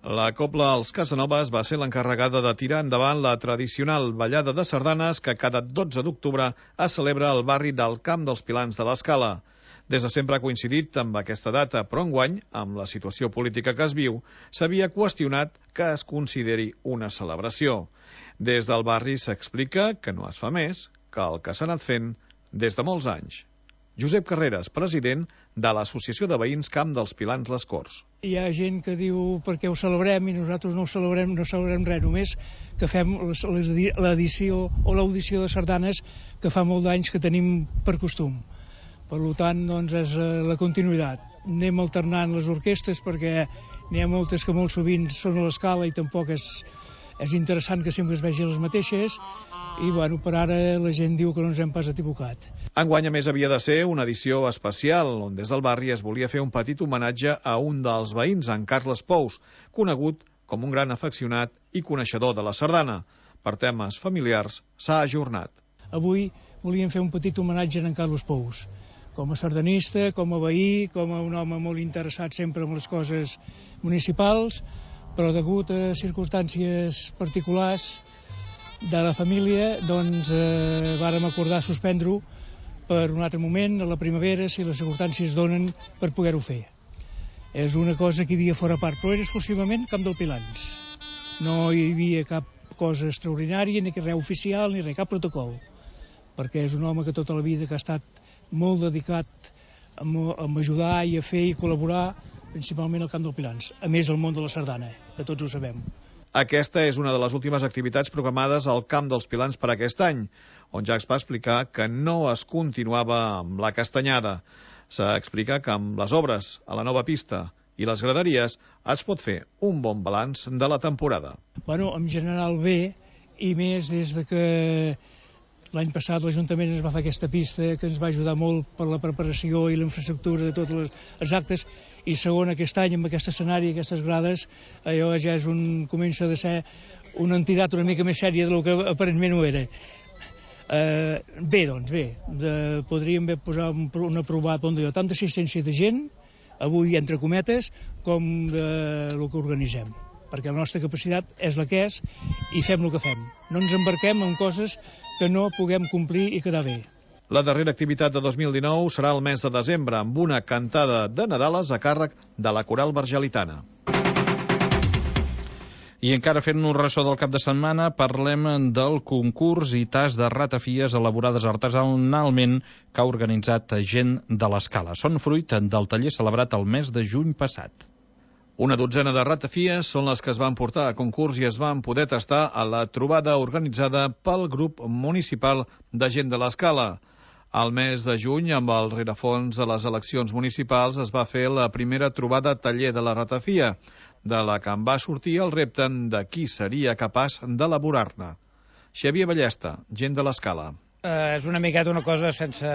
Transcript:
La Cobla Els Casanovas va ser l'encarregada de tirar endavant la tradicional ballada de sardanes que cada 12 d'octubre es celebra al barri del Camp dels Pilans de l'Escala. Des de sempre ha coincidit amb aquesta data, però enguany, amb la situació política que es viu, s'havia qüestionat que es consideri una celebració. Des del barri s'explica que no es fa més que el que s'ha anat fent des de molts anys. Josep Carreras, president de l'Associació de Veïns Camp dels Pilans Les Corts. Hi ha gent que diu per què ho celebrem i nosaltres no celebrem res, només que fem l'edició o l'audició de sardanes que fa molt d'anys que tenim per costum. Per tant, doncs, és la continuïtat. Anem alternant les orquestres perquè n'hi ha moltes que molt sovint són a l'escala i tampoc és interessant que sempre es vegi les mateixes i, bueno, per ara la gent diu que no ens hem pas equivocat. Enguany, a més, havia de ser una edició especial, on des del barri es volia fer un petit homenatge a un dels veïns, en Carles Pous, conegut com un gran afeccionat i coneixedor de la sardana. Per temes familiars, s'ha ajornat. Avui volíem fer un petit homenatge a en Carles Pous, com a sardanista, com a veí, com a un home molt interessat sempre en les coses municipals, però degut a circumstàncies particulars de la família, doncs vàrem acordar suspendre-ho per un altre moment, a la primavera, si les circumstàncies donen per poder-ho fer. És una cosa que hi havia fora part, però era exclusivament Camp dels Pilans. No hi havia cap cosa extraordinària, ni res oficial, ni res, cap protocol, perquè és un home que tota la vida que ha estat molt dedicat a ajudar i a fer i col·laborar, principalment al Camp dels Pilans, a més del món de la sardana, que tots ho sabem. Aquesta és una de les últimes activitats programades al Camp dels Pilans per aquest any, on ja es va explicar que no es continuava amb la castanyada. S'explica que amb les obres a la nova pista i les graderies es pot fer un bon balanç de la temporada. Bueno, en general bé, i més des de que l'any passat l'Ajuntament ens va fer aquesta pista que ens va ajudar molt per la preparació i la infraestructura de tots els actes, i segon, aquest any amb aquest escenari, aquestes grades, allò ja comença a ser una entitat una mica més sèria del que aparentment ho era. Bé, doncs bé, podríem posar una provat on hi ha tanta assistència de gent, avui entre cometes, com el que organitzem, perquè la nostra capacitat és la que és i fem el que fem. No ens embarquem en coses que no puguem complir i quedar bé. La darrera activitat de 2019 serà el mes de desembre, amb una cantada de Nadales a càrrec de la Coral Vergelitana. I encara fent-nos ressò del cap de setmana, parlem del concurs i tas de ratafies elaborades artesanalment que ha organitzat gent de l'Escala. Són fruit del taller celebrat el mes de juny passat. Una dotzena de ratafies són les que es van portar a concurs i es van poder tastar a la trobada organitzada pel grup municipal de gent de l'Escala. Al mes de juny, amb el rerefons de les eleccions municipals, es va fer la primera trobada taller de la ratafia, de la que en va sortir el repte de qui seria capaç d'elaborar-ne. Xavier Ballesta, gent de l'Escala. És una miqueta una cosa sense